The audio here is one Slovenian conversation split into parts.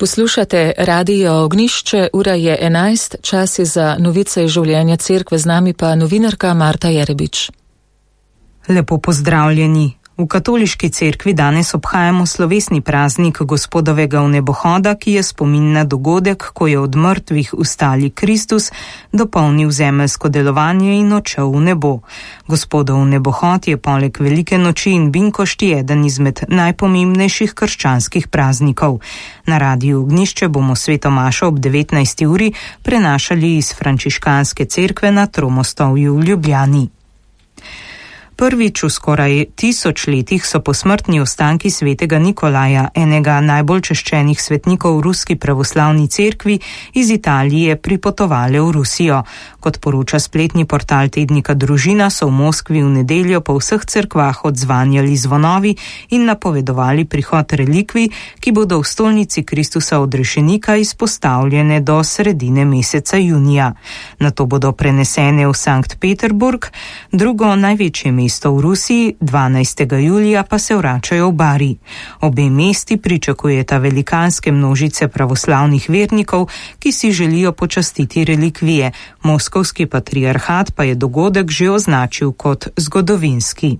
Poslušate Radio Ognjišče, ura je 11, čas je za novice iz življenja cerkve, z nami pa novinarka Marta Jerebič. Lepo pozdravljeni. V katoliški cerkvi danes obhajamo slovesni praznik Gospodovega vnebohoda, ki je spomin na dogodek, ko je od mrtvih vstali Kristus, dopolnil zemeljsko delovanje in odšel v nebo. Gospodov vnebohod je poleg velike noči in binkošti eden izmed najpomembnejših krščanskih praznikov. Na Radiu Ognjišče bomo sveto mašo ob 19. uri prenašali iz frančiškanske cerkve na Tromostovju v Ljubljani. Prvič v skoraj 1000 letih so posmrtni ostanki svetega Nikolaja, enega najbolj češčenih svetnikov v ruski pravoslavni cerkvi, iz Italije pripotovale v Rusijo. Kot poroča spletni portal tednika Družina, so v Moskvi v nedeljo po vseh cerkvah odzvanjali zvonovi in napovedovali prihod relikvij, ki bodo v stolnici Kristusa odrešenika izpostavljene do sredine meseca junija. Nato bodo prenesene v Sankt Peterburg, drugo največje mesto v Rusiji, 12. julija pa se vračajo v Bari. Obe mesti pričakujeta velikanske množice pravoslavnih vernikov, ki si želijo počastiti relikvije. Moskovski patriarhat pa je dogodek že označil kot zgodovinski.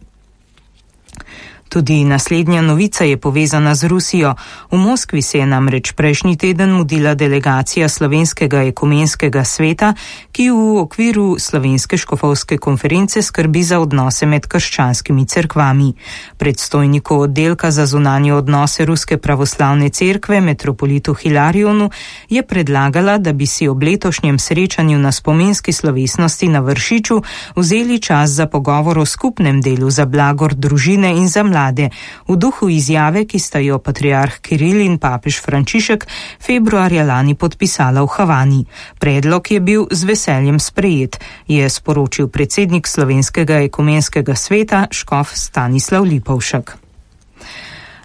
Tudi naslednja novica je povezana z Rusijo. V Moskvi se je namreč prejšnji teden mudila delegacija Slovenskega ekumenskega sveta, ki v okviru Slovenske škofovske konference skrbi za odnose med krščanskimi cerkvami. Predstojniku oddelka za zunanje odnose Ruske pravoslavne cerkve, metropolitu Hilarionu, je predlagala, da bi si ob letošnjem srečanju na spominski slovesnosti na Vršiču vzeli čas za pogovor o skupnem delu za blagor družine in za mlade, v duhu izjave, ki sta jo patriarh Kiril in papež Frančišek februarja lani podpisala v Havani. Predlog je bil z veseljem sprejet, je sporočil predsednik Slovenskega ekumenskega sveta škof Stanislav Lipovšek.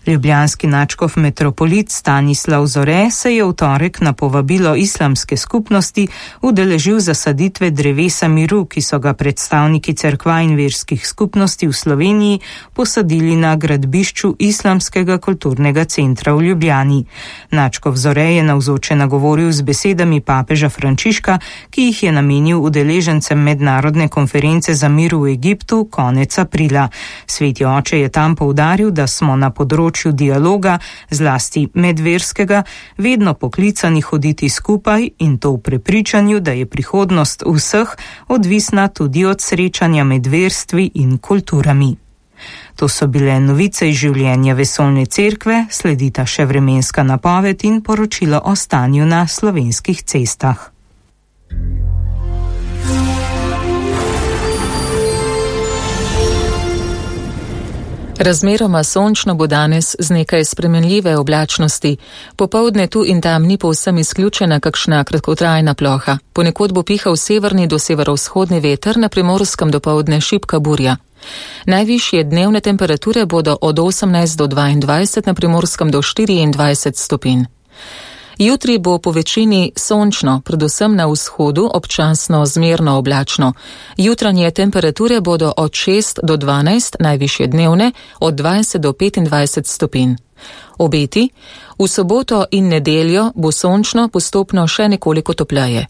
Ljubljanski nadškof metropolit Stanislav Zore se je v torek na povabilo islamske skupnosti udeležil zasaditve drevesa miru, ki so ga predstavniki cerkva in verskih skupnosti v Sloveniji posadili na gradbišču Islamskega kulturnega centra v Ljubljani. Nadškof Zore je navzoče nagovoril z besedami papeža Frančiška, ki jih je namenil udeležencem mednarodne konference za mir v Egiptu konec aprila. Sveti oče je tam poudaril, da smo na področju dialoga, zlasti medverskega, vedno poklicani hoditi skupaj in to v prepričanju, da je prihodnost vseh odvisna tudi od srečanja med verstvi in kulturami. To so bile novice iz življenja vesoljne cerkve, sledita še vremenska napoved in poročilo o stanju na slovenskih cestah. Razmeroma sončno bo danes z nekaj spremenljive oblačnosti. Popoldne tu in tam ni povsem izključena kakšna kratkotrajna ploha. Ponekod bo pihal severni do severovzhodni veter, na Primorskem dopoldne šibka burja. Najvišje dnevne temperature bodo od 18 do 22, na Primorskem do 24 stopinj. Jutri bo po večini sončno, predvsem na vzhodu občasno zmerno oblačno. Jutranje temperature bodo od 6 do 12, najvišje dnevne od 20 do 25 stopinj. Obeti: v soboto in nedeljo bo sončno, postopno še nekoliko topleje.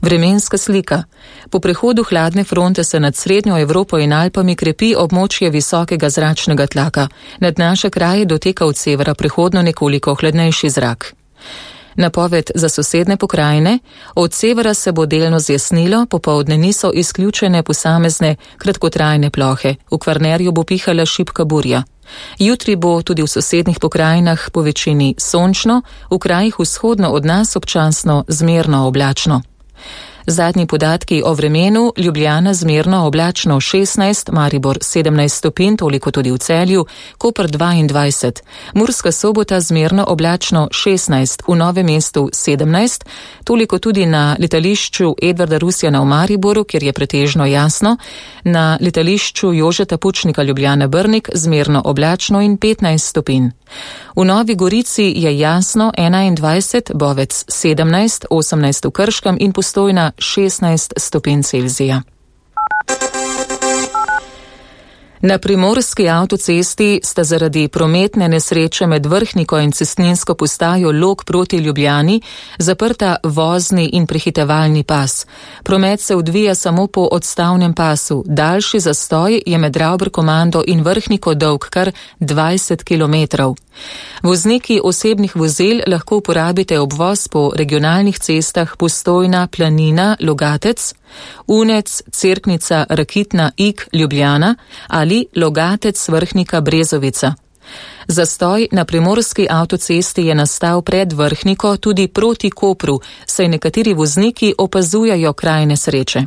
Vremenska slika. Po prehodu hladne fronte se nad srednjo Evropo in Alpami krepi območje visokega zračnega tlaka. Nad naše kraje doteka od severa prehodno nekoliko hladnejši zrak. Napoved za sosedne pokrajine: od severa se bo delno zjasnilo, popoldne niso izključene posamezne kratkotrajne plohe. V Kvarnerju bo pihala šibka burja. Jutri bo tudi v sosednjih pokrajinah po večini sončno, v krajih vzhodno od nas občasno zmerno oblačno. Zadnji podatki o vremenu: Ljubljana zmerno oblačno 16, Maribor 17 stopinj, toliko tudi v Celju, Koper 22, Murska Sobota zmerno oblačno 16, v Novem mestu 17, toliko tudi na letališču Edvarda Rusjana v Mariboru, kjer je pretežno jasno, na letališču Jožeta Pučnika Ljubljana Brnik zmerno oblačno in 15 stopinj. V Novi Gorici je jasno 21, Bovec 17, 18 v Krškem in Postojna 16 stopinj Celzija. Na primorski avtocesti sta zaradi prometne nesreče med Vrhniko in cestninsko postajo Log proti Ljubljani zaprta vozni in prehitevalni pas. Promet se odvija samo po odstavnem pasu. Daljši zastoj je med Ravberkomando in Vrhniko dolg kar 20 km. Vozniki osebnih vozil lahko uporabite obvoz po regionalnih cestah Postojna, Planina, Logatec, Unec, Cerknica, Rakitna, Ig, Ljubljana ali Logatec, Vrhnika, Brezovica. Zastoj na primorski avtocesti je nastal pred Vrhniko tudi proti Kopru, saj nekateri vozniki opazujajo kraj nesreče.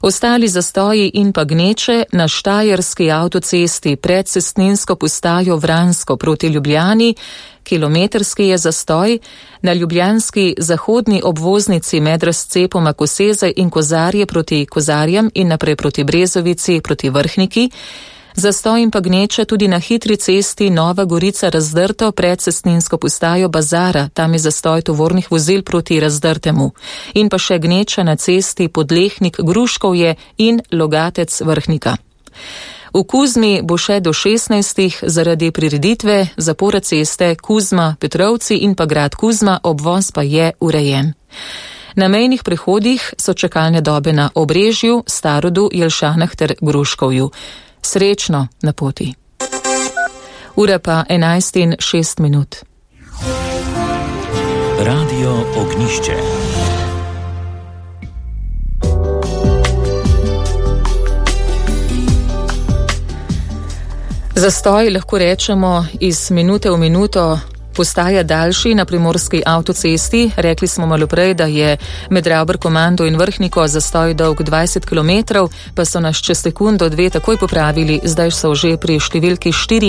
Ostali zastoji in pa gneče na štajerski avtocesti pred cestninsko postajo Vransko proti Ljubljani, kilometrski je zastoj, na ljubljanski zahodni obvoznici med razcepoma Koseze in Kozarje proti Kozarjem in naprej proti Brezovici proti Vrhniki, zastoj in pa gneče tudi na hitri cesti Nova Gorica Razdrto pred cestninsko postajo Bazara, tam je zastoj tovornih vozil proti Razdrtemu, in pa še gneča na cesti Podlehnik Gruškovje in Logatec Vrhnika. V Kuzmi bo še do 16. zaradi prireditve zapora ceste Kuzma Petrovci in pa grad Kuzma, obvoz pa je urejen. Na mejnih prehodih so čakalne dobe na Obrežju, Starodu, Jelšanah ter Gruškovju. Srečno na poti. Ura pa 11:06. Radio Ognjišče. Zastoj lahko rečemo iz minute v minuto postaja daljši na primorski avtocesti. Rekli smo malo prej, da je med Ravberkomando in Vrhniko zastoj dolg 20 km, pa so nas čez sekundo, dve takoj popravili, zdaj so že pri številki 4.